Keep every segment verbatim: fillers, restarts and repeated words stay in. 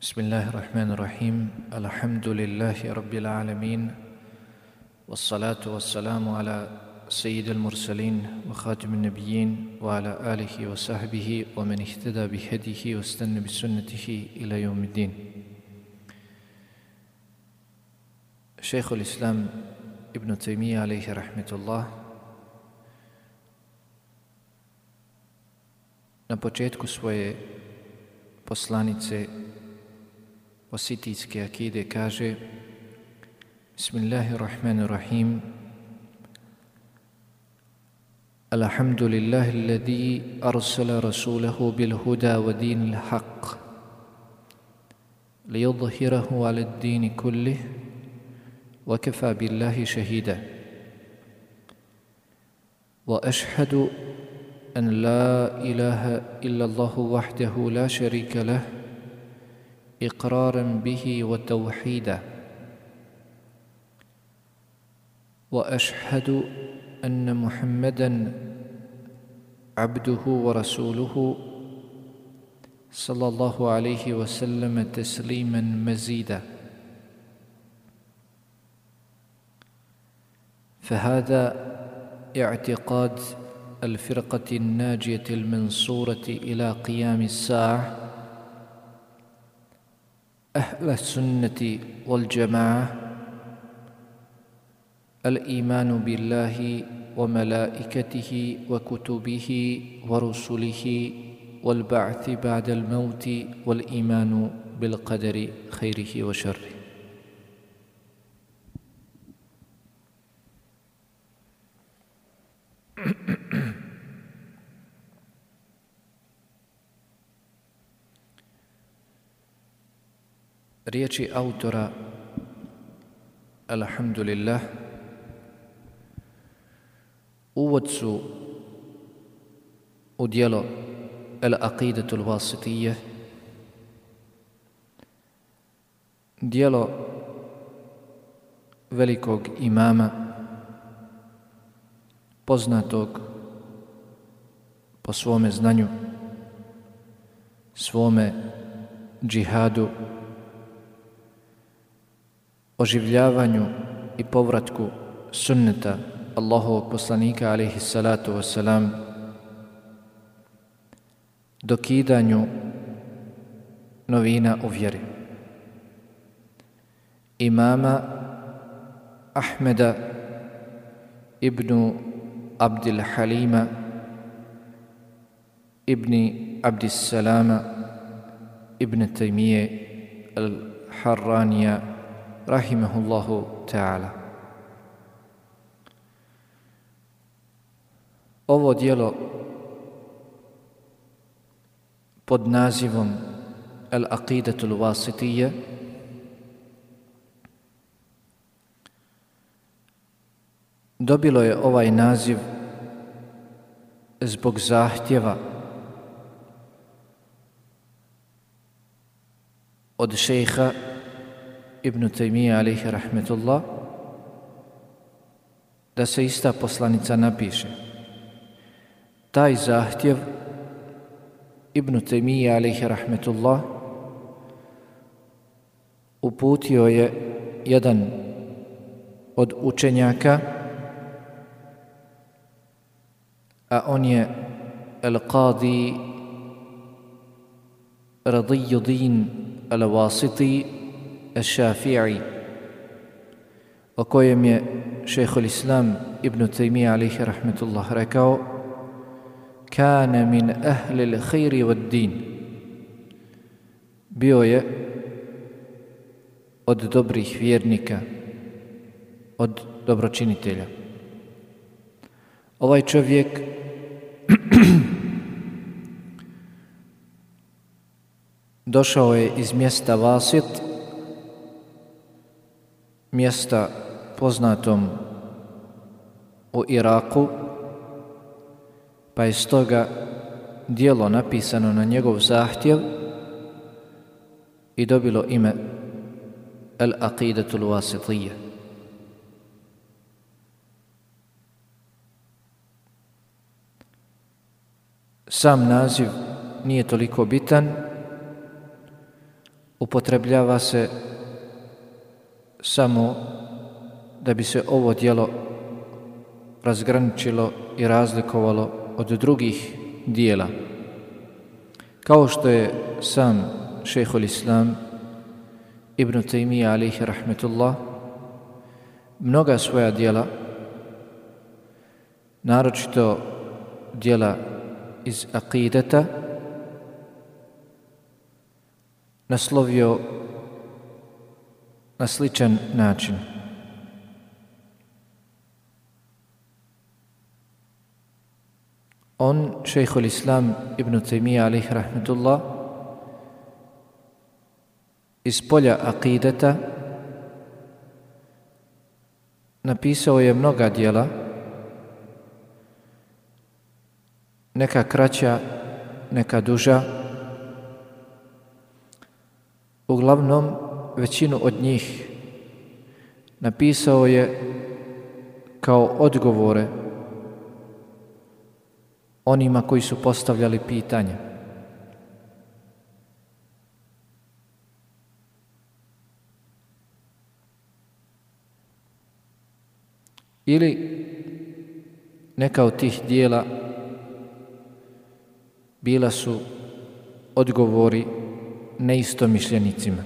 Bismillahirrahmanirrahim. Alhamdulillahi rabbil alamin. Wassalatu wassalamu ala sayyidil mursalin wa khatimin nabiyyin wa ala alihi wa sahbihi wa man ihtada bihadihi wa istanna bi sunnatihi ila yawmiddin. Šejhul Islam Ibn Taymija alejhi rahmetullah na početku svoje poslanice ositijske akide kaže: Bismillahirrahmanirrahim. Alhamdulillahi alladhi arsala rasulahu bil huda wa dinil haqq liyudhhirahu ala ad-din kullih wa kafa billahi shahida. Wa ashhadu an la ilaha illa Allahu wahdahu la sharika lah إقرارا به وتوحيدا. وأشهد أن محمدا عبده ورسوله صلى الله عليه وسلم تسليما مزيدا. فهذا اعتقاد الفرقة الناجية المنصورة إلى قيام الساعة، أهل السنة والجماعة، الإيمان بالله وملائكته وكتبه ورسله والبعث بعد الموت والإيمان بالقدر خيره وشره. Riječi autora Alhamdulillah uvod su u djelo Al-Aqidatul Wasitiyya, djelo velikog imama, poznatog po svome znanju, svome džihadu, oživljavanju i povratku sunneta Allahovog poslanika alejhi salatu wassalam, dokidanju novina u vjeri. Imama Ahmeda ibn Abdil Halima ibn Abdissalama ibn Taymije al-Harranija rahimahullahu ta'ala. Ovo djelo pod nazivom Al-Aqidatul Wasitiyya dobilo je ovaj naziv zbog zahtjeva od šejha Ibn Taymija alejhi rahmetullah da se ista poslanica napiše. Taj zahtjev Ibn Taymija alejhi rahmetullah uputio je jedan od učenjaka, a on je Al-Qadi Radiyuddin Al-Wasiti Al-Shafi'i, o kojem je šejhul Islam Ibn Taymija alejhi rahmetullah rekao: Kana min ahli l-khayri wad-din. Bio je od dobrih vjernika, od dobročinitelja. Ovaj čovjek došao je iz mjesta Vasit, mjesta poznatom u Iraku, pa je stoga djelo napisano na njegov zahtjev i dobilo ime Al-Aqidatul Wasitiyya. Sam naziv nije toliko bitan, upotrebljava se samo da bi se ovo djelo razgraničilo i razlikovalo od drugih dijela. Kao što je sam šejhul Islam Ibn Tejmija alejhi rahmetullah mnoga svoja djela, naročito djela iz akideta, naslovio na sličan način. On, šejhul Islam Ibn Tejmija alejhi rahmetullah, iz polja akideta napisao je mnoga djela, neka kraća, neka duža. Uglavnom, većinu od njih napisao je kao odgovore onima koji su postavljali pitanja. Ili neka od tih dijela bila su odgovori neistomišljenicima.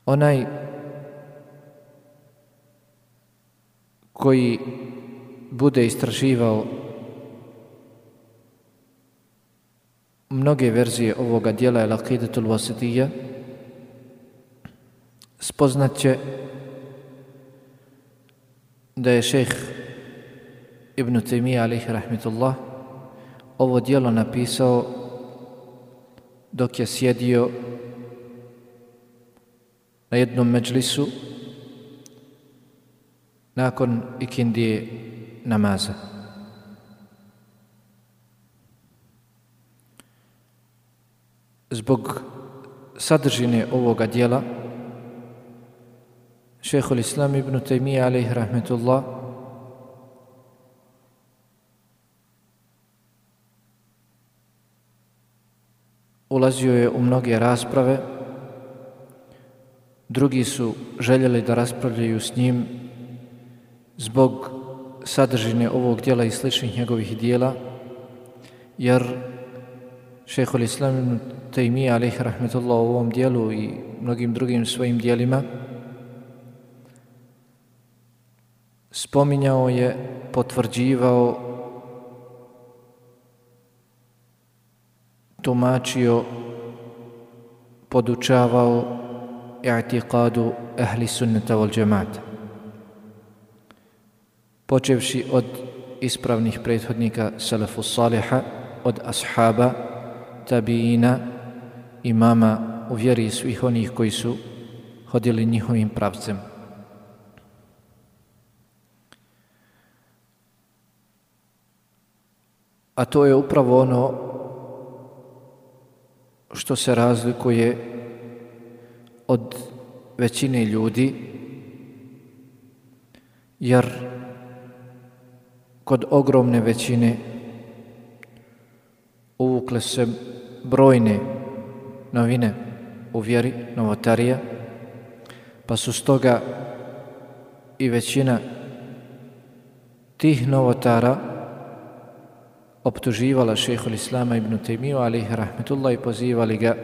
Onaj koji bude istraživao mnoge verzije ovoga dijela Al-Aqidatul Wasitiyya, spoznat će da je šejh Ibn Tejmija alejhi rahmetullah ovo dijelo napisao dok je sjedio na jednom medžlisu nakon ikindije namaza. Zbog sadržine ovoga dijela, šejhul Islam Ibn Tejmija alejhi rahmetullah ulazio je u mnoge rasprave. Drugi su željeli da raspravljaju s njim zbog sadržine ovog dijela i sličnih njegovih dijela, jer šejhul Islam Ibn Tejmija alejhi rahmetullah u ovom dijelu i mnogim drugim svojim dijelima spominjao je, potvrđivao, tumačio, podučavao i'tiqadu ahli sunnata wal džemata, počevši od ispravnih prethodnika salafu saliha, od ashaba, tabiina, imama u vjeri svih onih koji su hodili njihovim pravcem. A to je upravo ono što se razlikuje od većine ljudi, jer kod ogromne većine uvukle se brojne novine u vjeri, novotarija, pa su stoga i većina tih novotara optuživala šejhul Islama Ibn Tejmiju alejhi rahmetullah i pozivali ga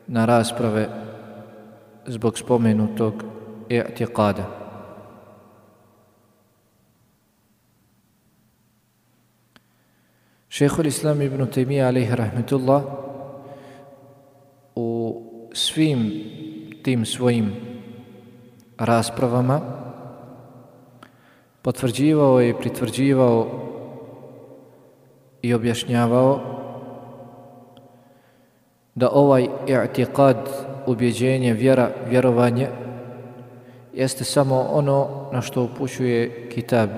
na rasprave zbog spomenutog i'tiqada. Šejhul Islam Ibn Tejmija alejhi rahmetullah u svim tim svojim raspravama potvrđivao je i pritvrđivao i objašnjavao da ovaj i'tiqad, ubjeđenje, vjera, vjerovanje jeste samo ono na što upućuje kitab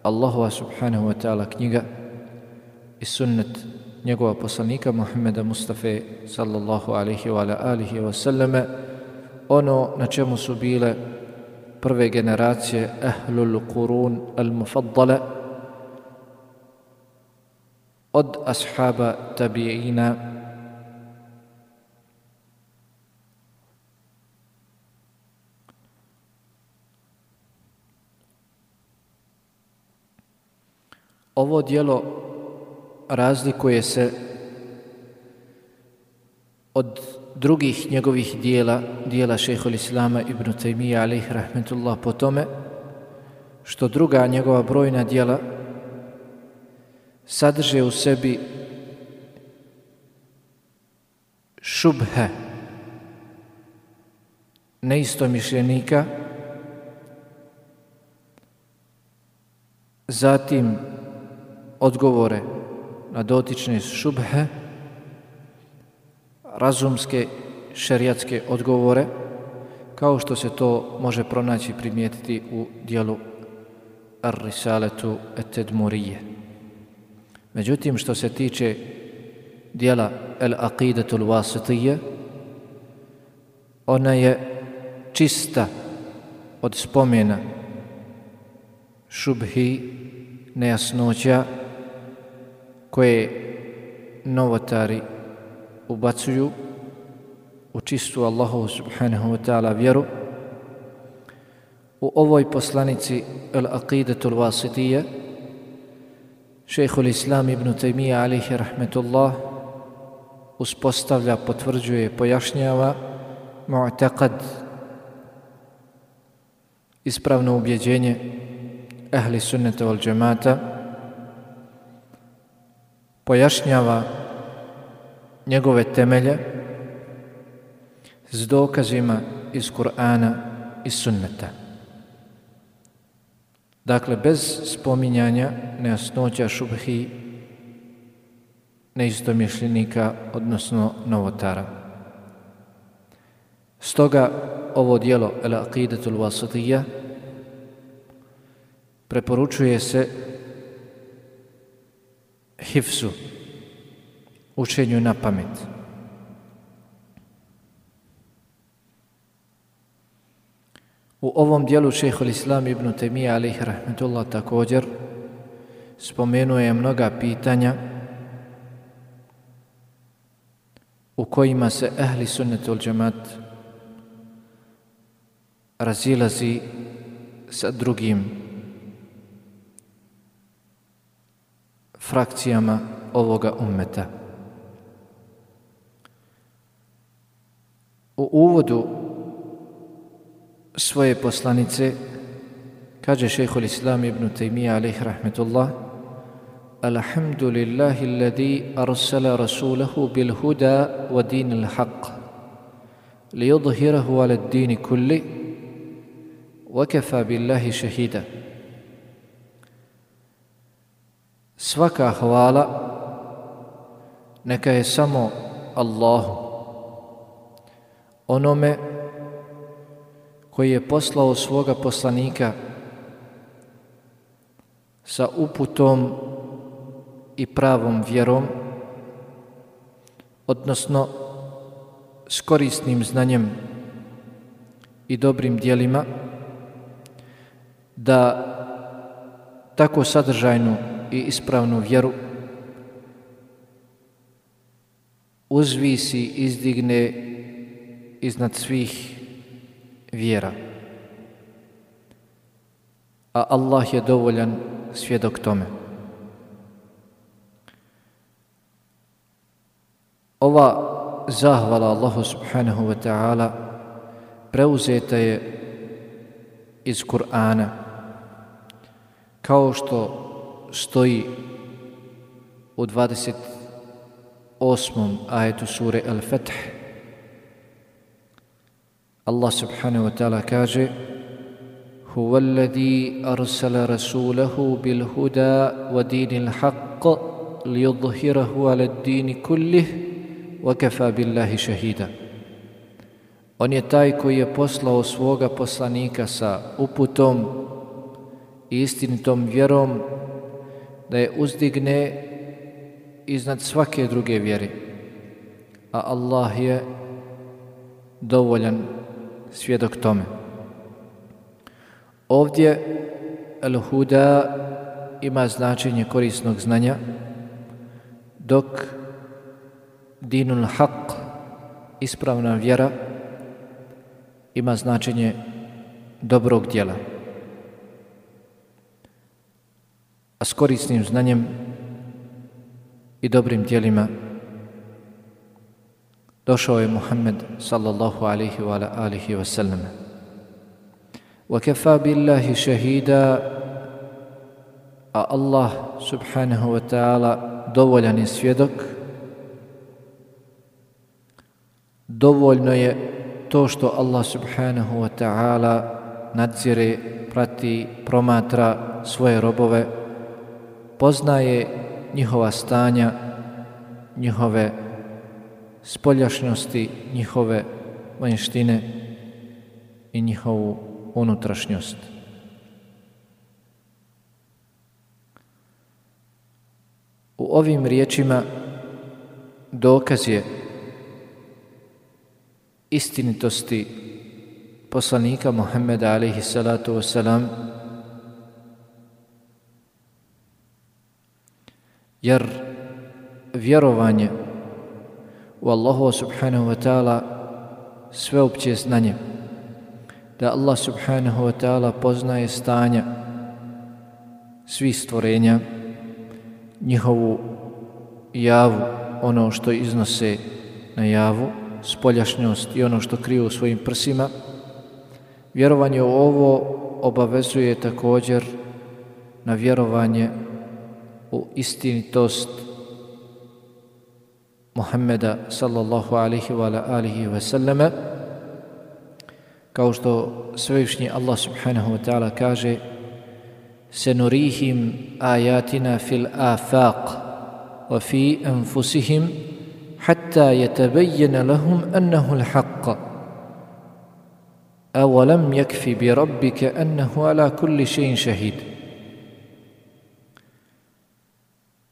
Allahova subhanahu wa ta'ala knjiga i sunnet njegova poslanika Muhammeda Mustafa sallallahu alaihi wa ala alihi wa sallame, ono na čemu su bile prve generacije Ahlul Qurun al-Mufaddala, od ashaba tabi'ina, ovo djelo razlikuje se od drugih njegovih dijela, dijela šejhul Islama ibn Tejmija alejhi rahmetullah, po tome što druga njegova brojna djela sadrže u sebi šubhe neistomišljenika, zatim odgovore na dotične šubhe, razumske šerijatske odgovore, kao što se to može pronaći, primijetiti u dijelu Ar-Risaletu et-Tedmurije. Međutim, što se tiče dijela Al-Aqidatul Wasitije, ona je čista od spomena šubhi, nejasnoća koje novotari ubacuju u čistu Allahovu subhanahu wa ta'ala vjeru. U ovoj poslanici Al-Aqidatul Wasitije šejhul Islam ibn Tejmija alejhi rahmetullah uspostavlja, potvrđuje, pojašnjava mu'taqad, ispravno ubjeđenje ahli sunneta wal džemata, pojašnjava njegove temelje s dokazima iz Kur'ana i sunneta. Dakle, bez spominjanja nejasnoća, šubhi, neistomišljenika, odnosno novotara. Stoga ovo djelo Al-Aqidatul Wasitija preporučuje se hifzu, učenju na pamet. U ovom dijelu šejhul Islam ibn Tejmija alejhi rahmetullah također spomenuje mnoga pitanja u kojima se ahli sunnet wal džemat razilazi sa drugim frakcijama ovoga ummeta. U uvodu svoje poslanice kaže šejhul Islam ibn Tejmija alejhi rahmetullah: Alhamdulillahi alladhi arsala rasulahu bil huda wa dinil haqq liyudhhirahu ala ad-din kulli wa kafa billahi shahida. Svaka hvala neka je samo Allahu, onome koji je poslao svoga poslanika sa uputom i pravom vjerom, odnosno s korisnim znanjem i dobrim djelima, da tako sadržajnu i ispravnu vjeru uzvisi, izdigne iznad svih vjera. A Allah je dovoljan svjedok tome. Ova zahvala Allahu subhanahu wa ta'ala preuzeta je iz Kur'ana, kao što stoji u dvadeset osmom ajetu sure Al-Fath. Allah subhanahu wa ta'ala kaže: Huwa alladhi arsala rasulahu bil huda wa dinil haqq liyudhhirahu ala ad-din kullih wa kafa billahi shahida. On je taj koji je poslao svoga poslanika sa uputom i istinitom vjerom da je uzdigne iznad svake druge vjere, a Allah je dovoljan svjedok tome. Ovdje al-huda ima značenje korisnog znanja, dok dinul haq, ispravna vjera, ima značenje dobrog djela. A s korisnim znanjem i dobrim djelima došao je Muhammed sallallahu alaihi wa alihi wa sallam. وَكَفَى بِاللَّهِ شَهِيدًا, a Allah subhanahu wa ta'ala dovoljan je svjedok. Dovoljno je to što Allah subhanahu wa ta'ala nadzire, prati, promatra svoje robove, poznaje njihova stanja, njihove spoljašnjosti, njihove vanjštine i njihovu unutrašnjost. U ovim riječima dokaz je istinitosti poslanika Muhammeda alejhi salatu vesselam, jer vjerovanje u Allahu subhanahu wa ta'ala sveopće znanje, da Allah subhanahu wa ta'ala poznaje stanja svih stvorenja, njihovu javu, ono što iznose na javu, spoljašnjost i ono što kriju u svojim prsima. Vjerovanje u ovo obavezuje također na vjerovanje u istinitost Muhammeda sallallahu alaihi wa alihi wa sallama, kao što svevišnji Allah subhanahu wa ta'ala kaže: senurihim ayatina fil afaq wa fi anfusihim hatta yatabayyana lahum annahu al-haqq awalam yakfi bi rabbika annahu ala kulli shay'in shahid.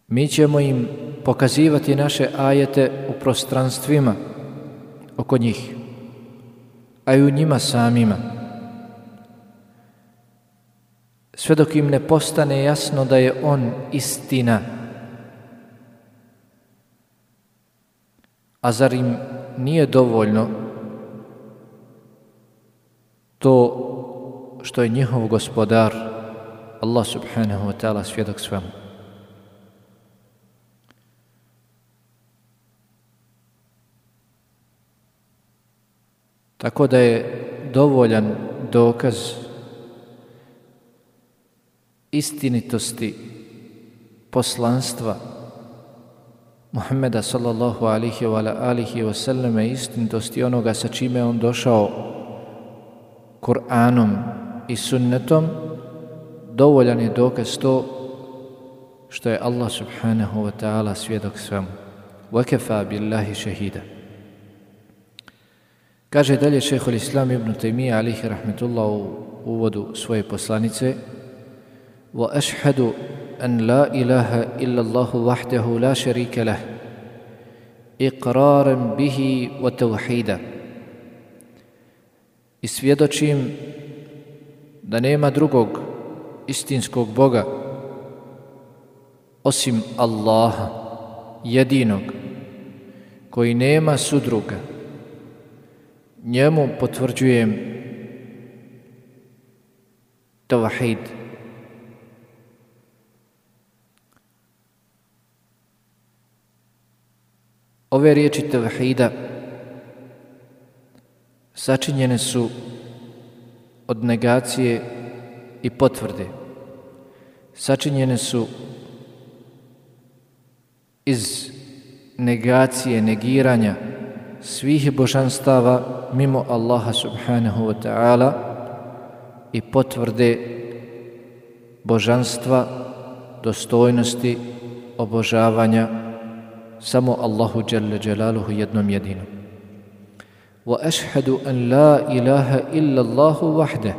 Mi ćemo im pokazivati naše ajete u prostranstvima oko njih, a i u njima samima, sve dok im ne postane jasno da je on istina. A zar im nije dovoljno to što je njihov gospodar Allah subhanahu wa ta'ala svjedok svemu? Tako da je dovoljan dokaz istinitosti poslanstva Muhammeda sallallahu alihi wa alihi wa sallam, istinitosti onoga sa čime on došao, Kur'anom i sunnetom. Dovoljan je dokaz to što je Allah subhanahu wa ta'ala svjedok svemu. وَكَفَى بِاللَّهِ شَهِيدًا. Kaže dalje šejhul Islam ibn Tejmija alihi rahmetullah u uvodu svoje poslanice: وَأَشْهَدُ أَنْ لَا إِلَهَ إِلَّا اللَّهُ وَحْدَهُ لَا شَرِيكَ لَهُ إِقْرَارًا بِهِ وَتَوْحِيدًا. I svjedočim da nema drugog istinskog Boga osim Allaha jedinog, koji nema sudruga. Njemu potvrđujem tawhid. Ove riječi tawhida sačinjene su od negacije i potvrde. Sačinjene su iz negacije, negiranja svih božanstava mimo Allaha subhanahu wa ta'ala i potvrde božanstva, dostojnosti, obožavanja samo Allahu dželle dželaluhu jednom jedinom. Wa ashhadu an la ilaha illa Allahu wahde.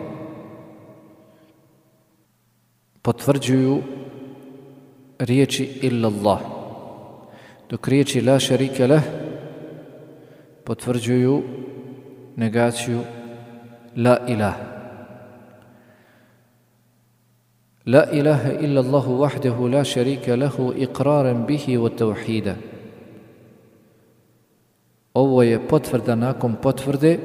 Potvrđuju riječi illa Allah, dok riječi la šarike leh potvrđuju negaciju la ilaha. La ilaha illa Allahu wahdahu la sharika lahu iqraran bihi wa tawhida. Ovo je potvrda nakon potvrde.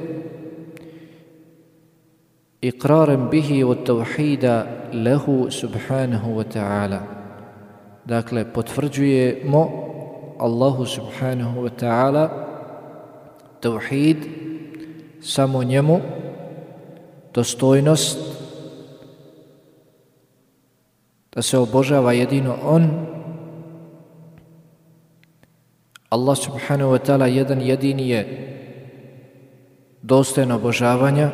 Iqraran bihi wa tawhida lahu subhanahu wa ta'ala. Dakle, potvrđujemo Allahu subhanahu wa ta'ala tawhid, samo njemu, dostojnost, da se obožava jedino on. Allah subhanahu wa ta'ala jedan jedini je dostojan obožavanja,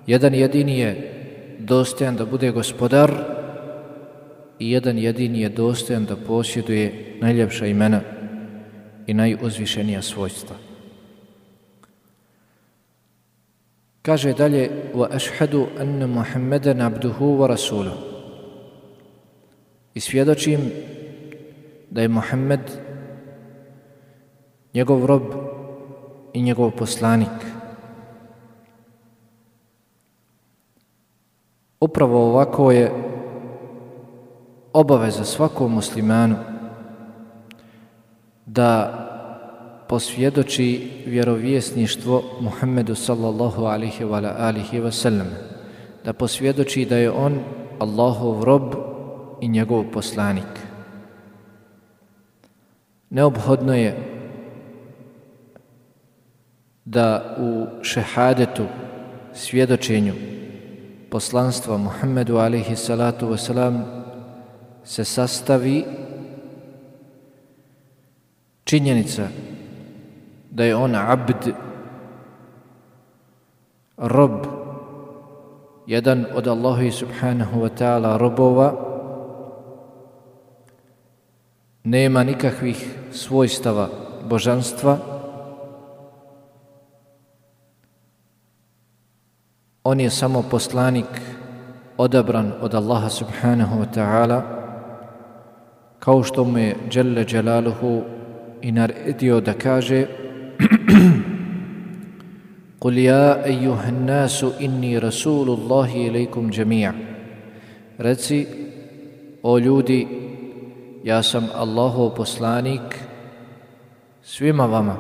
jedan jedini je dostojan da bude gospodar i jedan jedini je dostojan da posjeduje najljepša imena i najuzvišenija svojstva. Kaže dalje: wa ashhadu anna Muhammadan abduhu wa rasuluhu. I svjedočim da je Muhammed njegov rob i njegov poslanik. Upravo ovako je obaveza svakom muslimanu da posvjedoči vjerovjesništvo Muhammedu sallallahu alaihi wa alihi wa sallam, da posvjedoči da je on Allahov rob i njegov poslanik. Neophodno je da u šehadetu, svjedočenju poslanstva Muhammedu alaihi salatu wasalam se sastavi činjenica da je on abd, rob, jedan od Allaha subhanahu wa ta'ala robova, nema nikakvih svojstava božanstva, on je samo poslanik odabran od Allaha subhanahu wa ta'ala, kao što mu je Jelle Jalaluhu i naredio da kaže: Qul ja ejuhan nasu inni rasulullahi ilaikum džemija. Reci, o ljudi, ja sam Allahov poslanik svima vama.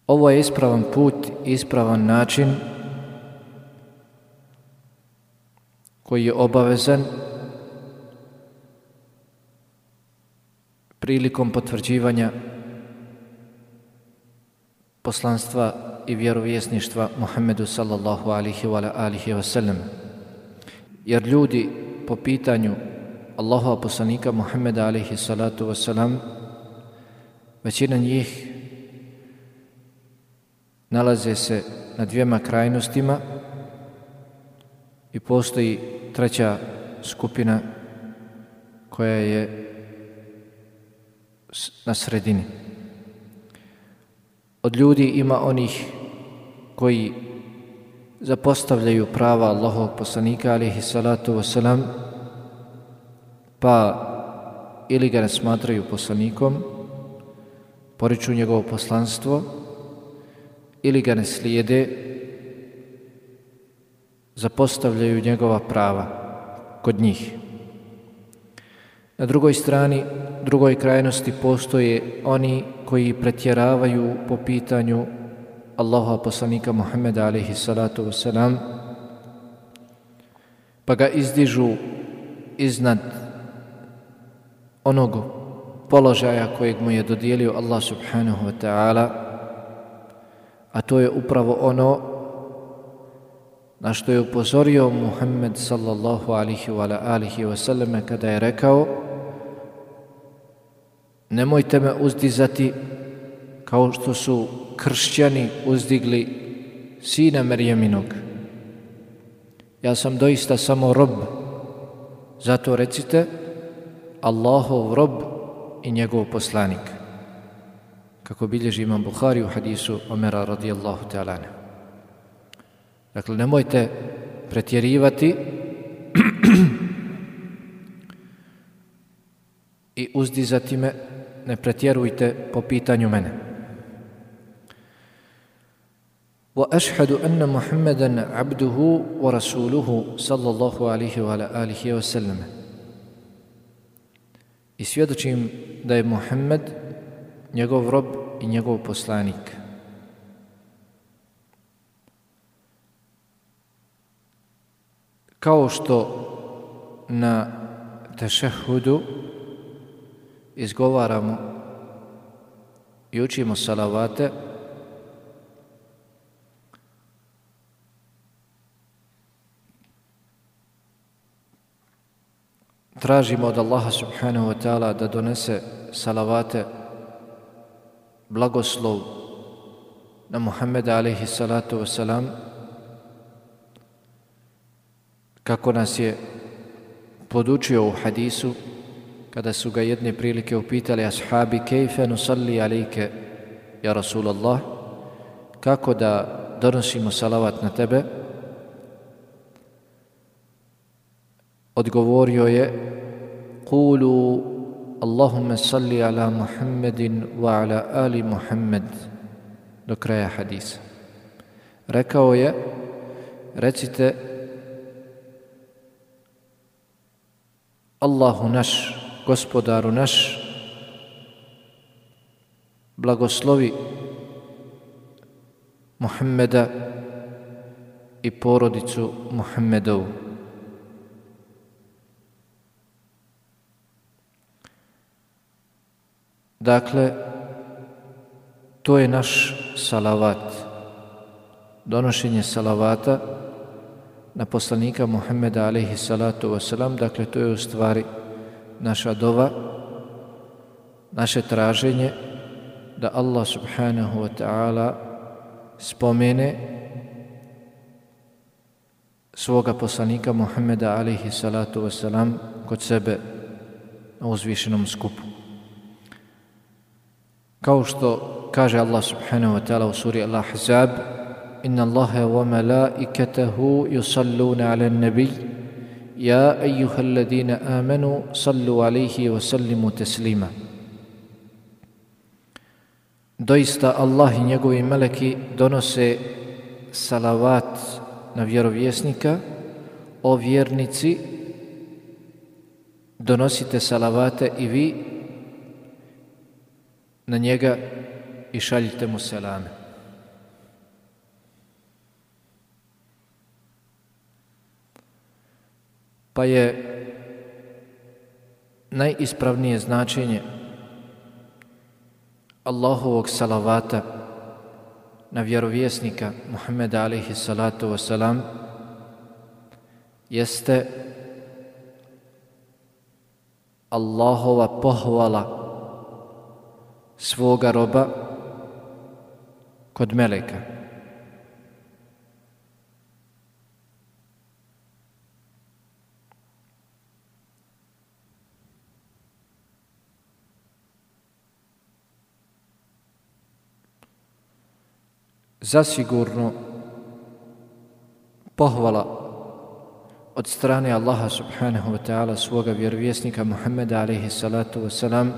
Ovo je ispravan put, ispravan način koji je obavezan prilikom potvrđivanja poslanstva i vjerovjesništva Muhammedu sallallahu alaihi wa alihi wa sallam. Jer ljudi po pitanju Allahova poslanika Muhammeda alaihi salatu wa sallam, većina njih nalaze se na dvijema krajnostima i postoji treća skupina koja je na sredini. Od ljudi ima onih koji zapostavljaju prava Allahovog poslanika alejhi salatu vesselam, pa ili ga ne smatraju poslanikom, poriču njegovo poslanstvo, ili ga ne slijede, zapostavljaju njegova prava kod njih. Na drugoj strani, drugoj krajnosti postoje oni koji pretjeravaju po pitanju Allaha poslanika Muhammeda alejhi salatu vesselam, pa ga izdižu iznad onog položaja kojeg mu je dodijelio Allah subhanahu wa ta'ala, a to je upravo ono na što je upozorio Muhammed sallallahu alihi wa alihi wa sallam kada je rekao: nemojte me uzdizati kao što su kršćani uzdigli sina Merjeminog. Ja sam doista samo rob, zato recite Allahov rob i njegov poslanik, kako bilježi imam Buhari u hadisu Omera radijallahu ta'ala. Dakle, nemojte pretjerivati i uzdizati me, ne pretjerujte po pitanju mene. وأشهد أن محمدا عبده ورسوله صلى الله عليه وعلى آله وسلم. I svjedočim da je Muhammed njegov rob i njegov poslanik. Kao što na tešehudu izgovaramo i učimo salavate, tražimo od Allaha subhanahu wa ta'ala da donese salavate, blagoslov na Muhammeda alaihi salatu wasalam, kako nas je podučio u hadisu kada su ga jedne prilike upitali ashabi kejfe nusalli alejke ja Rasulallah, kako da donosimo salavat na tebe. Odgovorio je Kulu Allahumma salli ala Muhammedin wa ala ali Muhammed, do kraja hadisa. Rekao je, recite Allahu naš, gospodaru naš, blagoslovi Muhammeda i porodicu Muhammedovu. Dakle, to je naš salavat, donošenje salavata na poslanika Muhammeda alejhi salatu wasalam. Dakle, to je u stvari naša dova, naše traženje da Allah subhanahu wa ta'ala spomene svoga poslanika Muhammeda alejhi salatu wasalam kod sebe na uzvišenom skupu. Kao što kaže Allah subhanahu wa ta'ala u suri Al-Ahzab, Inna Allaha wa malaikatahu yusalluna ala nabi ja ejuha alladina amanu sallu alaihi wa sallimu teslima. Doista Allah i njegovi meleki donose salavat na vjerovjesnika. O vjernici, donosite salavate i vi na njega i šaljite mu selame. Pa je najispravnije značenje Allahovog salavata na vjerovjesnika Muhammeda alejhi salatu wasalam jeste Allahova pohvala svoga roba kod meleka. Zasigurno pohvala od strane Allaha subhanahu wa ta'ala svoga vjerovjesnika Muhammeda alejhi salatu wasalam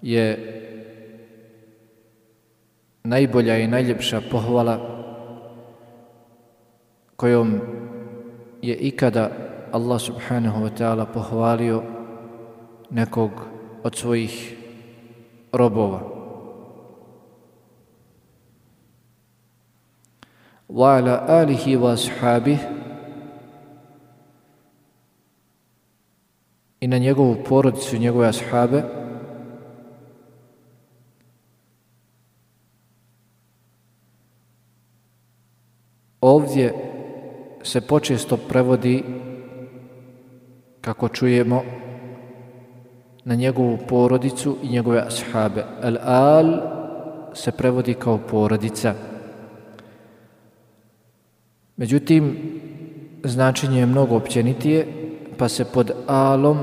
je najbolja i najljepša pohvala kojom je ikada Allah subhanahu wa ta'ala pohvalio nekog od svojih robova. Wa ala alihi wa ashabih, i na njegovu porodicu i njegove ashabe. Ovdje se počesto prevodi, kako čujemo, na njegovu porodicu i njegove ashabe. Al-al se prevodi kao porodica. Međutim, značenje je mnogo općenitije, pa se pod alom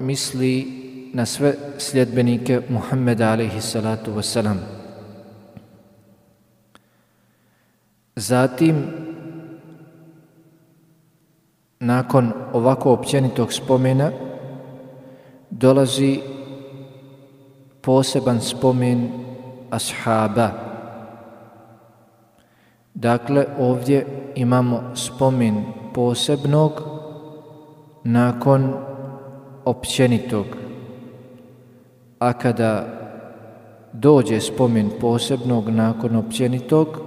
misli na sve sljedbenike Muhammeda alejhi salatu wasalam. Zatim, nakon ovako općenitog spomena, dolazi poseban spomen ashaba, Dakle, ovdje imamo spomen posebnog nakon općenitog. A kada dođe spomen posebnog nakon općenitog,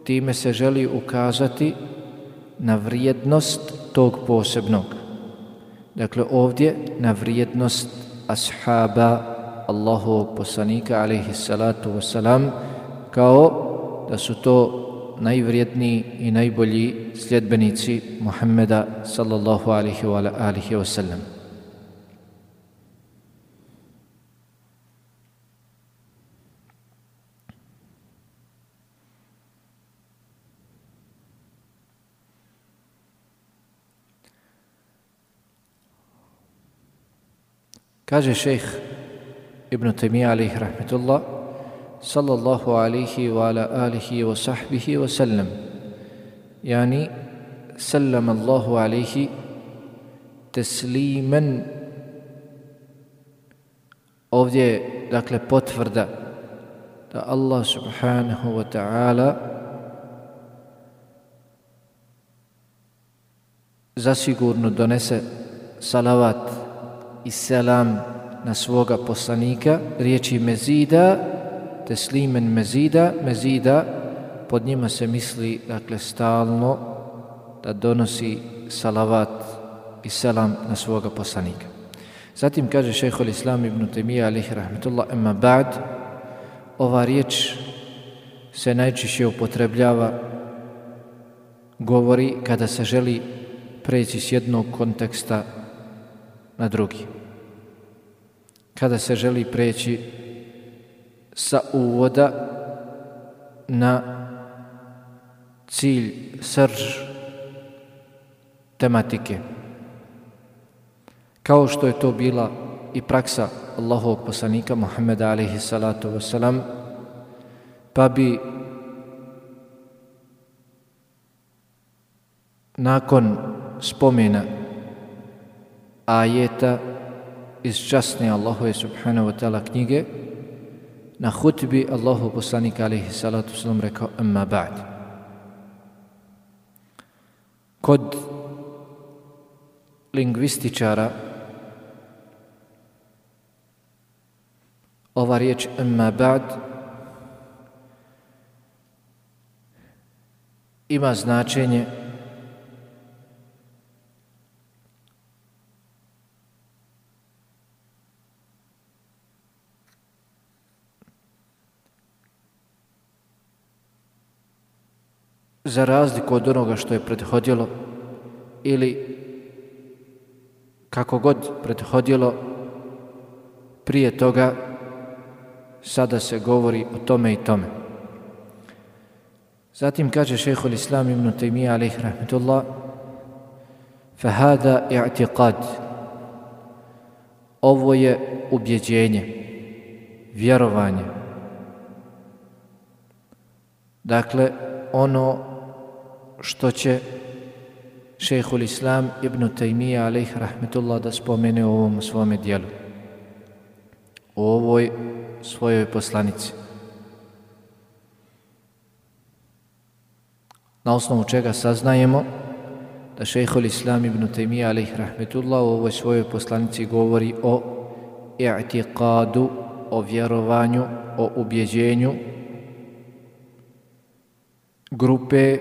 time se želi ukazati na vrijednost tog posebnog. Dakle, ovdje na vrijednost ashaba Allahovog poslanika alejhi salatu vesselam, kao da su to najvrijedniji i najbolji sljedbenici Muhammeda sallallahu alejhi wa alihi wa sallam. Kaže šejh Ibn Taymija alejhi rahmetullah, sallallahu alejhi wa ala alihi wa sahbihi wa sallam, yani sallam Allahu alejhi teslimen. Ovdje je dakle potvrda da Allah subhanahu wa ta'ala zasigurno donese salavat i selam na svoga poslanika. Riječi mezida, teslimen mezida, mezida, pod njima se misli dakle stalno da donosi salavat i selam na svoga poslanika. Zatim kaže šejhul Islam Ibn Taymija alejhi rahmetullah, amma ba'd, ova riječ se najčešće upotrebljava, govori kada se želi preći s jednog konteksta na drugi. Kada se želi preći sa uvoda na cilj, srž tematike. Kao što je to bila i praksa Allahovog poslanika Muhammeda alejhi salatu vesselam, pa bi nakon spomena ajeta iz časne Allahove subhanahu wa ta'ala knjige na hutbi Allahov poslanika alejhi salatu vesselam rekao amma ba'd. Kod lingvističara ova riječ amma ba'd ima značenje za razliku od onoga što je prethodilo, ili kako god prethodilo prije toga, sada se govori o tome i tome. Zatim kaže šejhul Islam Ibn Taymija alejhi rahmetullah, fahada i'tiqad, ovo je ubjeđenje, vjerovanje. Dakle, ono što će šejhul Islam Ibn Taymija alejhi rahmetullah da spomene u ovom svome dijelu, u ovoj svojoj poslanici. Na osnovu čega saznajemo da šejhul Islam Ibn Taymija alejhi rahmetullah u ovoj svojoj poslanici govori o i'tiqadu, o vjerovanju, o ubjeđenju grupe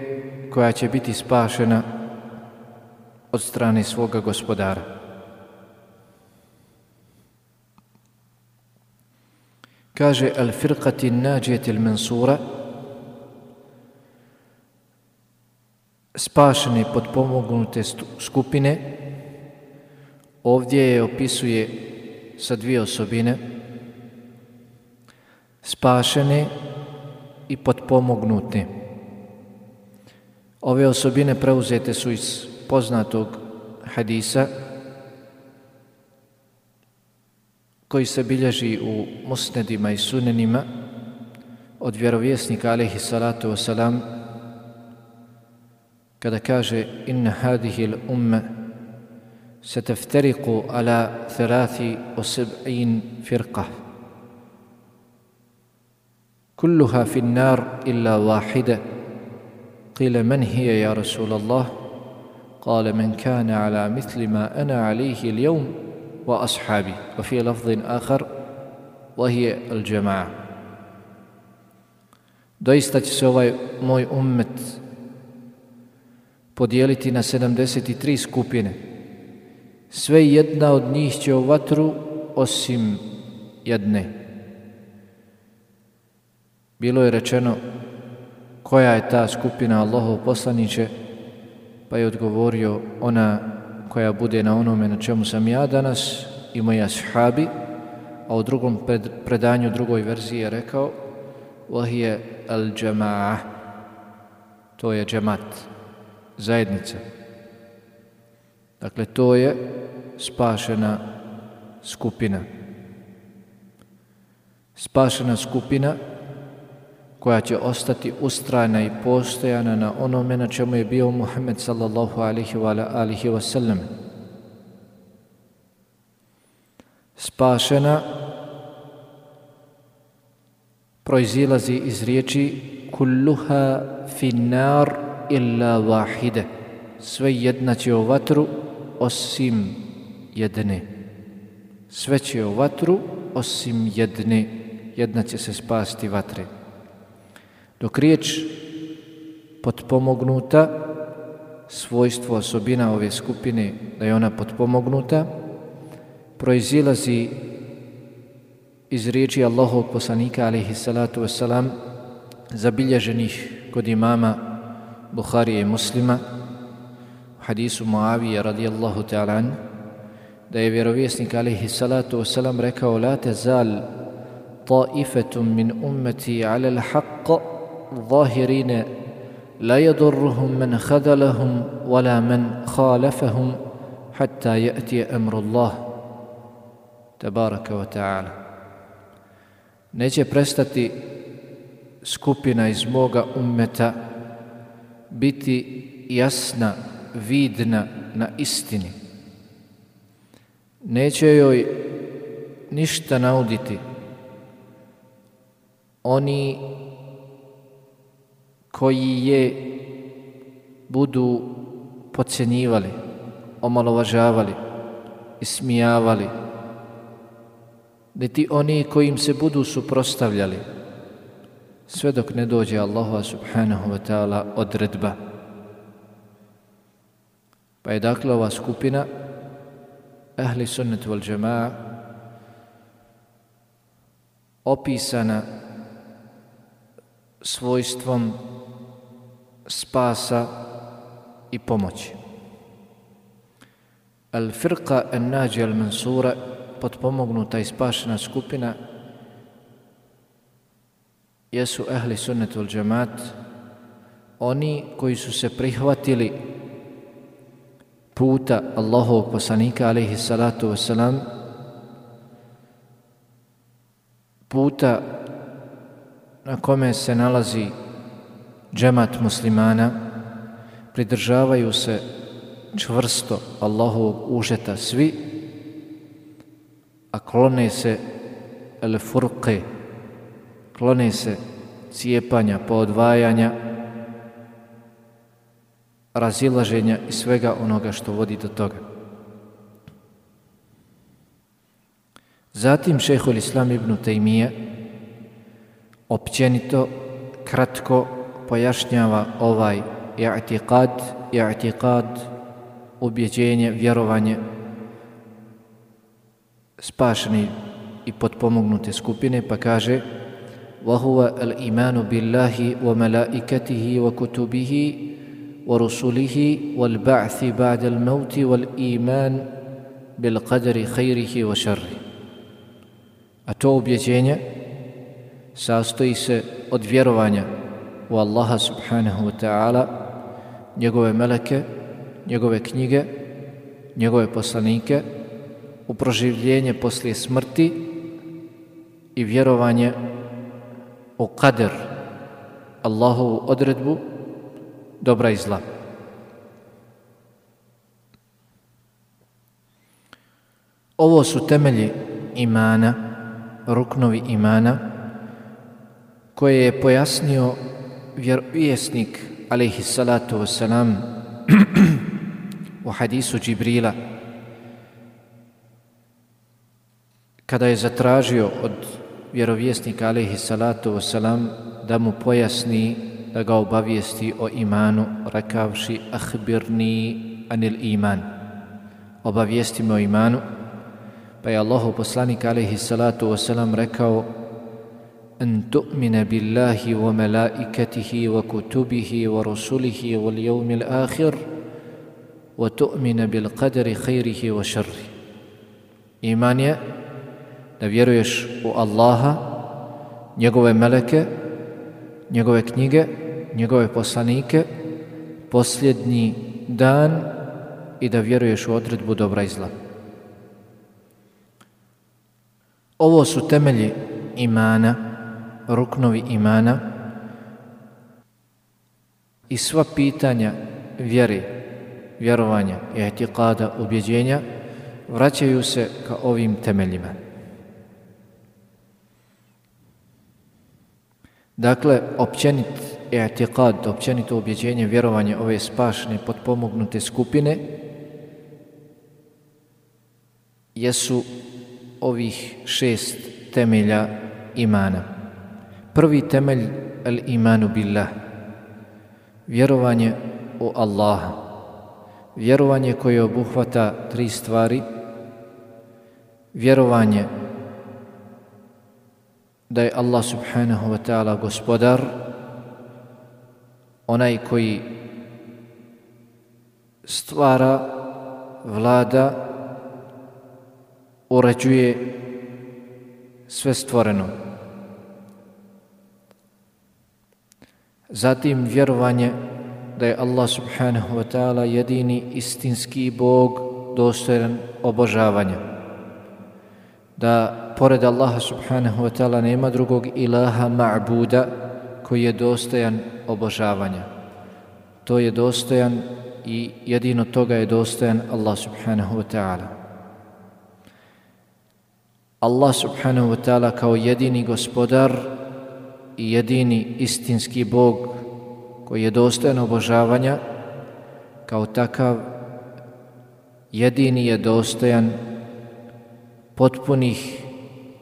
koja će biti spašena od strane svoga gospodara. Kaže al-firqati an-najiyati al-mansura, spašene potpomognute skupine. Ovdje je opisuje sa dvije osobine, spašene i potpomognute. Ove osobine preuzete su iz poznatog hadisa koji se bilježi u musnedima i sunenima od vjerovjesnika alejhi salatu vesselam, kada kaže inna hadihi l-umma sataftariqu ala thalathi wa sab'in firqa kulluha fi an-nar illa wahida قيل من هي يا رسول الله قال من كان على مثل ما أنا عليه اليوم وأصحابي وفي لفظ آخر وهي الجماعة. Doista će se ovaj moj ummet podijeliti na sedamdeset tri skupine. Sve jedna od njih će u vatru osim jedne. Bilo je rečeno koja je ta skupina Allahov poslaniče, pa je odgovorio ona koja bude na onome na čemu sam ja danas i moji ashabi, a u drugom pred, predanju drugoj verziji je rekao وَهِيَ الْجَمَاعَ, to je džemat, zajednica. Dakle, to je spašena skupina. Spašena skupina koja će ostati ustrajna i postojana na onome na čemu je bio Muhammed sallallahu alaihi wa alihi wa sallam. Spašena proizilazi iz riječi kulluha finnar illa wahide, sve jedna će u vatru osim jedne. Sve će u vatru osim jedne, jedna će se spasti vatre. Dok riječ potpomognuta, svojstvo, osobina ove skupine da je ona potpomognuta, proizilazi iz riječi Allahovog poslanika alejhi salatu vesselam, zabilježenih kod imama Buharije i Muslima, u hadisu Muavije radijallahu ta'ala an, da je vjerovjesnik alejhi salatu vesselam rekao: la tazal ta'ifatum min ummati ala al-haqq ظاهرين لا يضرهم من خذلهم ولا من خالفهم حتى يأتي أمر الله تبارك وتعالى. Neće prestati skupina iz moga ummeta biti jasna, vidna na istini. Neće joj ništa nauditi oni koji je budu podcjenjivali, omalovažavali, ismijavali, niti oni koji im se budu suprotstavljali, sve dok ne dođe Allahova subhanahu wa ta'ala odredba. Pa je dakle ova skupina ahli sunnet wal džema'a opisana svojstvom spasa i pomoći. Al-firqa an-nađija al-mansura, potpomognuta i spašena skupina, jesu ahli sunnet wal džemaat, oni koji su se prihvatili puta Allahovog poslanika alejhi salatu vesselam, puta na kome se nalazi džemat muslimana, pridržavaju se čvrsto Allahovog užeta svi, a klone se el-furqe, klone se cijepanja, poodvajanja, razilaženja i svega onoga što vodi do toga. Zatim šejhul Islam ibn Tejmije općenito, kratko pojašnjava ovaj i'tiqad, i'tiqad, ubjeđenje, vjerovanje spašeni i potpomognute skupine, pa kaže: وَهُوَ الْإِيمَانُ بِاللَّهِ وَمَلَائِكَتِهِ وَكُتُبِهِ وَرُسُلِهِ وَالْبَعْثِ بَعْدَ الْمَوْتِ وَالْإِيمَانِ بِالْقَدَرِ خَيْرِهِ وَشَرِّهِ. A to ubjeđenje sastoji se od vjerovanja u Allaha subhanahu wa ta'ala, njegove meleke, njegove knjige, njegove poslanike, u proživljenje poslije smrti i vjerovanje u kader, Allahovu odredbu dobra i zla. Ovo su temelji imana, ruknovi imana, koje je pojasnio vjerovjesnik alejhi salatu wassalam u hadisu Džibrila, kada je zatražio od vjerovjesnika alejhi salatu wassalam da mu pojasni, da ga obavijesti o imanu, rekavši ahbirni anil iman, obavijesti me o imanu, pa je Allahu poslanik alejhi salatu wassalam rekao an tu'mina billahi wa malaikatihi wa kutubihi wa rusulihi wal yawmil akhir wa tu'mina bil qadri khairihi wa sharri. Iman je da vjeruješ u Allaha, njegove meleke, njegove knjige, njegove poslanike, posljednji dan i da vjeruješ u odredbu dobra i zla. Ovo su temelji imana, ruknovi imana i sva pitanja vjere, vjerovanja i etiqada, ubjeđenja vraćaju se ka ovim temeljima. Dakle, općenit etiqad, općenito ubjeđenje, vjerovanje ove spašne, potpomognute skupine jesu ovih šest temelja imana. Prvi temelj, al imanu billah, vjerovanje u Allaha, vjerovanje koje obuhvata tri stvari: vjerovanje da je Allah subhanahu wa ta'ala gospodar, onaj koji stvara, vlada, uređuje sve stvoreno. Zatim vjerovanje da je Allah subhanahu wa ta'ala jedini istinski Bog dostojan obožavanja, da pored Allaha subhanahu wa ta'ala nema drugog ilaha ma'buda koji je dostojan obožavanja. To je dostojan i jedino toga je dostojan Allah subhanahu wa ta'ala. Allah subhanahu wa ta'ala kao jedini gospodar i jedini istinski Bog koji je dostojan obožavanja, kao takav jedini je dostojan potpunih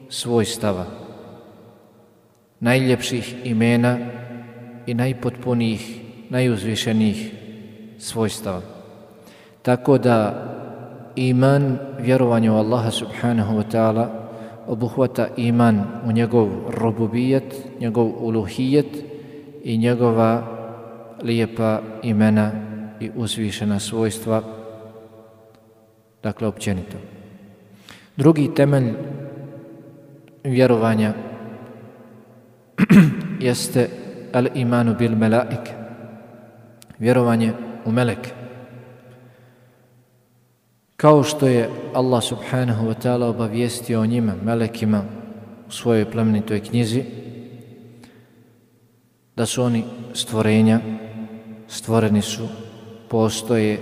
svojstava, najljepših imena i najpotpunijih, najuzvišenijih svojstava. Tako da iman, vjerovanje u Allaha subhanahu wa ta'ala, obuhvata iman u njegov rububijet, njegov uluhijet i njegova lijepa imena i uzvišena svojstva, dakle općenito. Drugi temelj vjerovanja jeste al imanu bil melaike, vjerovanje u meleke. Kao što je Allah subhanahu wa ta'ala obavijestio o njima, melekima, u svojoj plemenitoj knjizi, da su oni stvorenja, stvoreni su, postoje,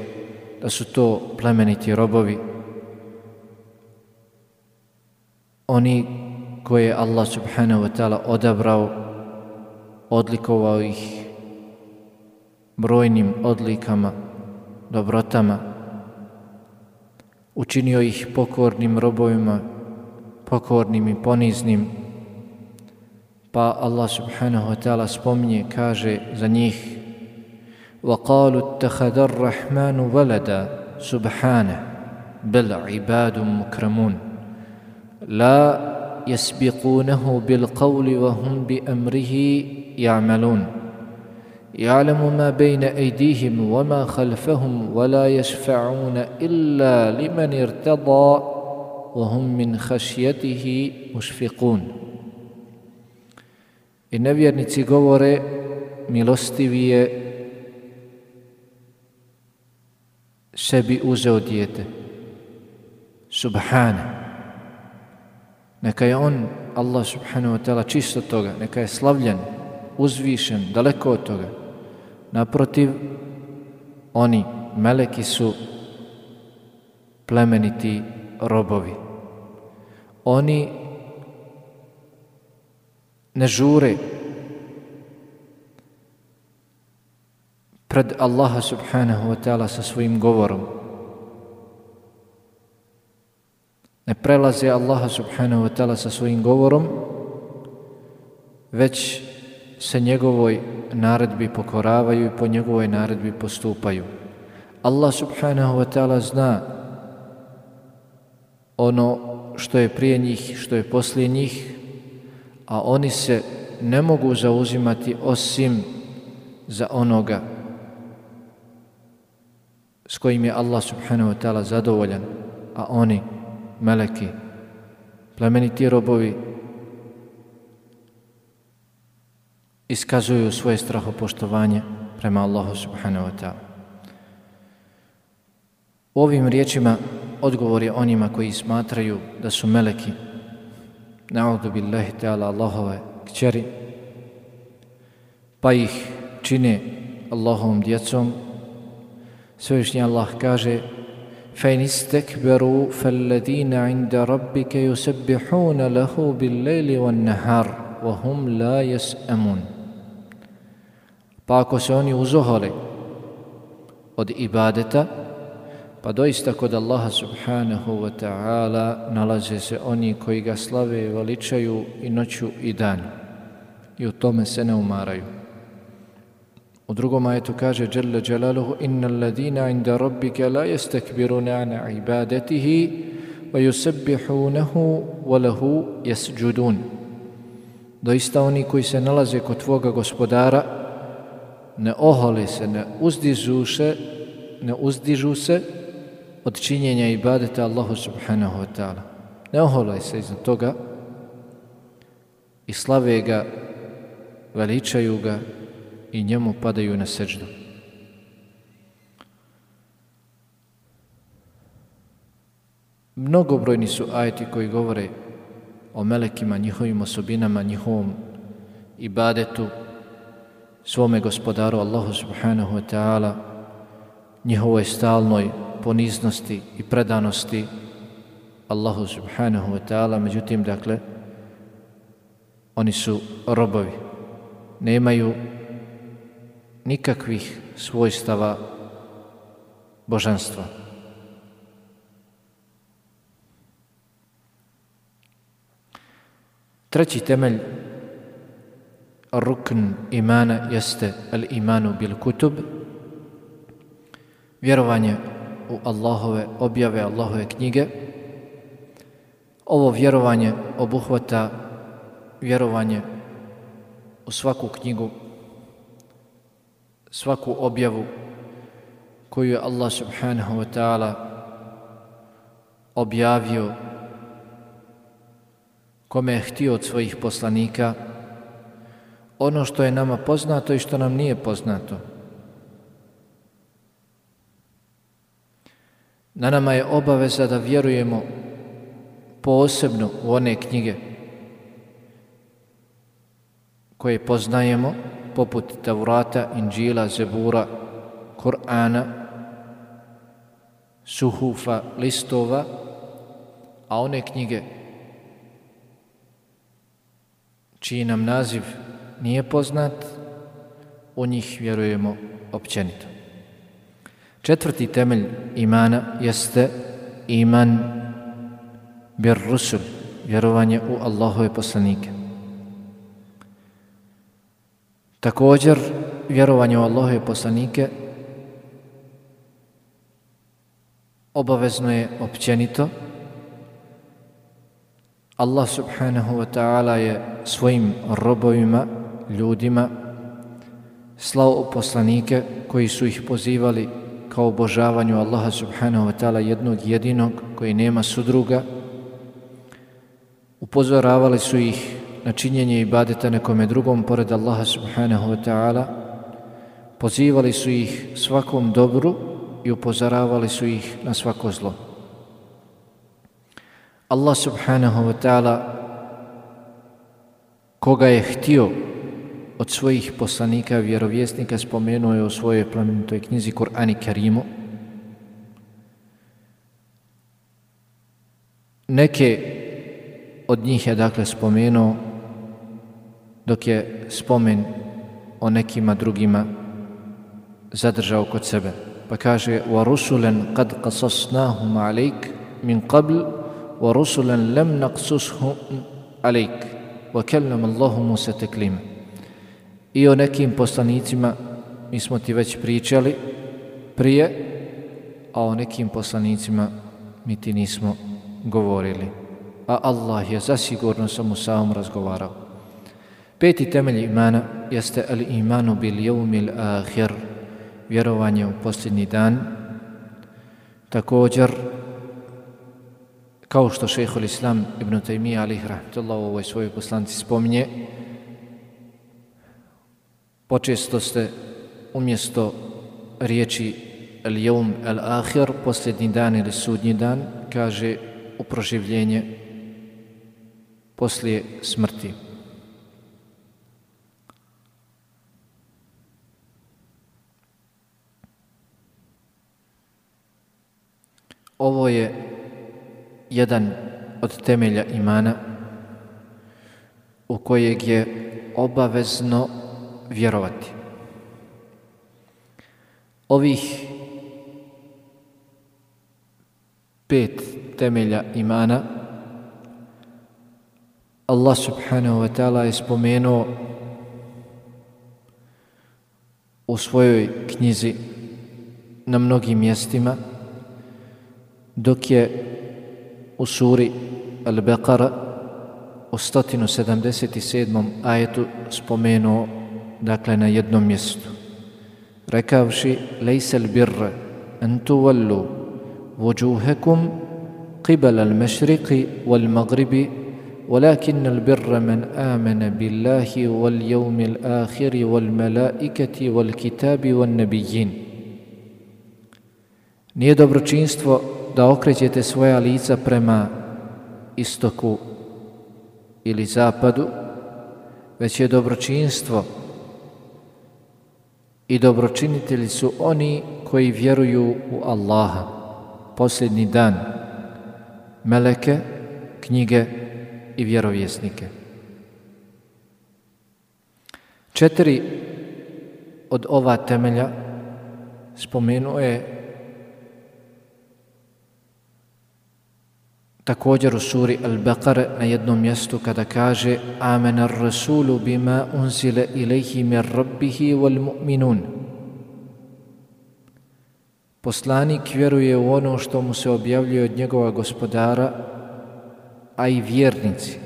da su to plemeniti robovi, oni koje je Allah subhanahu wa ta'ala odabrao, odlikovao ih brojnim odlikama, dobrotama, učinio ih pokornim robovima, pokornim i poniznim, pa Allah subhanahu wa ta'ala spominje, kaže za njih: وَقَالُوا اتَّخَذَ الرَّحْمَنُ وَلَدًا سُبْحَانَهُ بَلْ عِبَادٌ مُكْرَمُونَ لَا يَسْبِقُونَهُ بِالْقَوْلِ وَهُمْ بِأَمْرِهِ يَعْمَلُونَ يَعْلَمُ مَا بَيْنَ أَيْدِيهِمْ وَمَا خَلْفَهُمْ وَلَا يَشْفَعُونَ إِلَّا لِمَنِ ارْتَضَى وَهُمْ مِنْ خَشْيَتِهِ مُشْفِقُونَ. I nevjernici govore: milostivi je sebi uzeo dijete. Subhana. Neka je on, Allah subhanahu wa ta'ala, čist od toga, neka je slavljen, uzvišen, daleko od toga. Naprotiv, oni, meleki, su plemeniti robovi. Oni ne žure pred Allaha subhanahu wa ta'ala sa svojim govorom. Ne prelaze Allaha subhanahu wa ta'ala sa svojim govorom, već se njegovoj naredbi pokoravaju i po njegovoj naredbi postupaju. Allah subhanahu wa ta'ala zna ono što je prije njih, što je poslije njih, a oni se ne mogu zauzimati osim za onoga s kojim je Allah subhanahu wa ta'ala zadovoljan, a oni, meleki, plemeniti robovi, iskazuju svoje strahopoštovanje prema Allahu subhanahu wa ta'ala. U ovim riječima odgovor je onima koji smatraju da su meleki, na'udhu billahi ta'ala, Allahove kćeri, pa ih čine Allahovom djecom. Svevišnji Allah kaže: فَإِنِ اسْتَكْبَرُوا فَالَّذِينَ عِنْدَ رَبِّكَ يُسَبِّحُونَ لَهُ بِاللَّيْلِ وَالنَّهَارِ وَهُمْ لَا يَسْأَمُونَ. Pa ako se oni uzohole od ibadeta, pa doista kod Allaha subhanahu wa ta'ala nalaze se oni koji ga slave i veličaju i noću i dan, i u tome se ne umaraju. U drugom ajetu kaže Jalla Jalaluhu: innal ladina inda rabbika la yastakbiruna an ibadatihi wa yusabbihunahu wa lahu yasjudun. Doista oni koji se nalaze kod tvoga gospodara ne ohole se, ne uzdižu se, ne uzdižu se od činjenja ibadeta Allahu subhanahu wa ta'ala. Ne ohole se iznad toga i slave ga, veličaju ga i njemu padaju na seđdu. Mnogobrojni su ajeti koji govore o melekima, njihovim osobinama, njihovom ibadetu, svome gospodaru Allahu subhanahu wa ta'ala, njihovoj stalnoj poniznosti i predanosti Allahu subhanahu wa ta'ala. Međutim, dakle, oni su robovi, nemaju nikakvih svojstava božanstva. Treći temelj rukn imana jeste al-imanu bil kutub, vjerovanje u Allahove objave, Allahove knjige. Ovo vjerovanje obuhvata vjerovanje u svaku knjigu, svaku objavu koju je Allah subhanahu wa ta'ala objavio kome je htio od svojih poslanika, ono što je nama poznato i što nam nije poznato. Na nama je obaveza da vjerujemo posebno u one knjige koje poznajemo, poput Tavrata, Inđila, Zebura, Kur'ana, suhufa, listova, a one knjige čiji nam naziv nije poznat, u njih vjerujemo općenito. Četvrti temelj imana jeste iman bir rusul, vjerovanje u Allahove poslanike. Također, vjerovanje u Allahove poslanike obavezno je općenito. Allah subhanahu wa ta'ala je svojim robovima, ljudima, slao poslanike koji su ih pozivali kao obožavanju Allaha subhanahu wa ta'ala jednog jedinog koji nema sudruga. Upozoravali su ih na činjenje ibadeta nekome drugom pored Allaha subhanahu wa ta'ala. Pozivali su ih svakom dobru i upozoravali su ih na svako zlo. Allah subhanahu wa ta'ala, koga je htio od svojih poslanika, vjerovjesnika, spomenuo je u svojoj plemenitoj knjizi Kur'an i Kerimu. Neke od njih je dakle spomenuo, dok je spomen o nekima drugima zadržao kod sebe. Pa kaže وَرُسُلًا قَدْ قَصَصْنَاهُمْ عَلَيْكَ مِنْ قَبْلِ وَرُسُلًا لَمْ نَقْصُصْهُمْ عَلَيْكَ وَكَلَّمَ اللَّهُ مُوسَى تَكْلِيمًا. I o nekim poslanicima mi smo ti već pričali prije, a o nekim poslanicima mi ti nismo govorili. A Allah je zasigurno sa Musaom razgovarao. Peti temelj imana jeste al-imanu bil yawmil akhir, vjerovanje u posljednji dan. Također, kao što šejhul Islam ibn Tejmija alejhi rahmetullah u ovoj svojoj poslanici spominje, počesto ste umjesto riječi al-yawm al-akhir, posljednji dan ili sudnji dan, kaže u proživljenje poslije smrti. Ovo je jedan od temelja imana u kojeg je obavezno vjerovati. Ovih pet temelja imana Allah subhanahu wa ta'ala je spomenuo u svojoj knjizi na mnogim mjestima, dok je u suri Al-Baqara u sto sedamdeset sedmom ajetu spomenuo, dakle, na jednom mjestu, rekavši lejse l-birra an tuvallu vujuhakum qibala al-mashriqi wal-maghribi walakin al-birra man amana billahi wal-yawmi al-akhiri wal-malaikati wal-kitabi wal-nabijin. Nije dobročinstvo da okrećete svoja lica prema istoku ili zapadu, već je dobročinstvo i dobročinitelji su oni koji vjeruju u Allaha, posljednji dan, meleke, knjige i vjerovjesnike. Četiri od ova temelja spomenuo je također u suri Al-Baqara na jednom mjestu kada kaže Amena ar-rasulu bima unzila ilayhi min rabbihi wal mu'minun. Poslanik vjeruje u ono što mu se objavljuje od njegova gospodara, a i vjernici.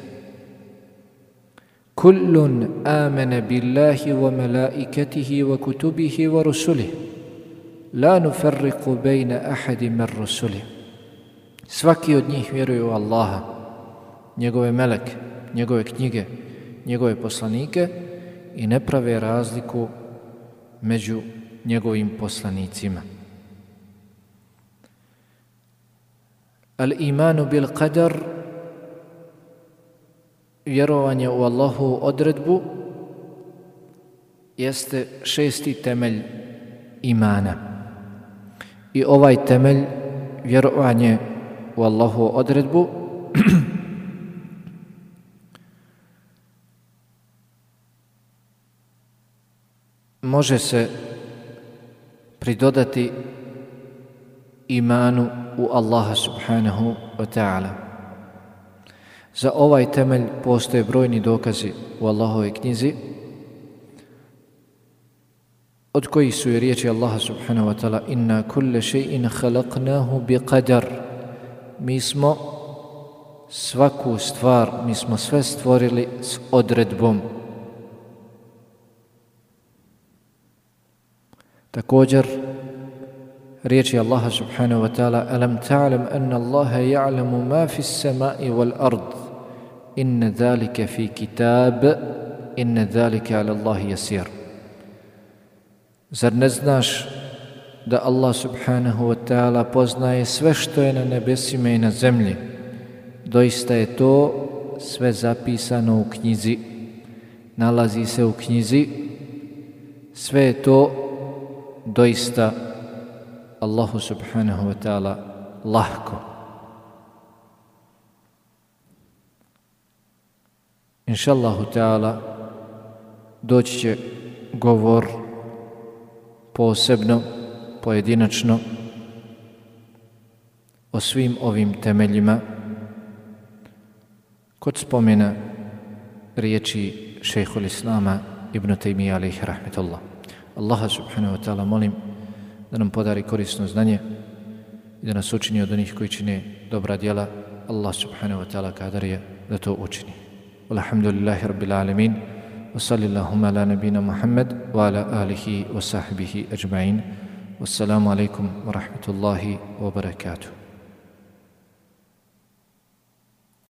Kullun amana billahi wa malaikatihi wa kutubihi wa rusulihi la nufarriqu bayna ahadin min rusulihi. Svaki od njih vjeruje u Allaha, njegove meleke, njegove knjige, njegove poslanike i ne prave razliku među njegovim poslanicima. Al-imanu bil qadar, vjerovanje u Allahu odredbu, jeste šesti temelj imana. I ovaj temelj, vjerovanje u Allahu odredbu, može se pridodati imanu u Allaha subhanahu wa ta'ala. Za ovaj temelj postoje brojni dokazi u Allahovoj knjizi, od kojih su i riječi Allaha subhanahu wa ta'ala inna kulle shay'in khalaqnahu bi qadar. Mi smo svaku stvar, mi smo sve stvorili s odredbom. Također, riječi Allaha subhanahu wa ta'ala alam ta'lam anna Allaha ya'lamu ma fi s-sama'i wal ard inna dhalika fi kitab inna dhalika ala Allahi yasir. Zar ne znaš da Allah subhanahu wa ta'ala poznaje sve što je na nebesima i na zemlji? Doista je to sve zapisano u knjizi, nalazi se u knjizi, sve je to doista Allahu subhanahu wa ta'ala lahko. Inša Allahu ta'ala doći će govor posebno, pojedinačno o svim ovim temeljima kod spomena riječi šejhul Islama Ibn Tejmija alejhi rahmetullah. Allaha subhanahu wa ta'ala molim da nam podari korisno znanje i da nas učini od onih koji čine dobra djela. Allah subhanahu wa ta'ala kadar je da to učini. Alhamdulillahi rabbil alamin. Wa sallallahu ala nabina Muhammad wa ala alihi wa sahbihi ajma'in. Wassalamu alaikum wa rahmatullahi wa barakatuh.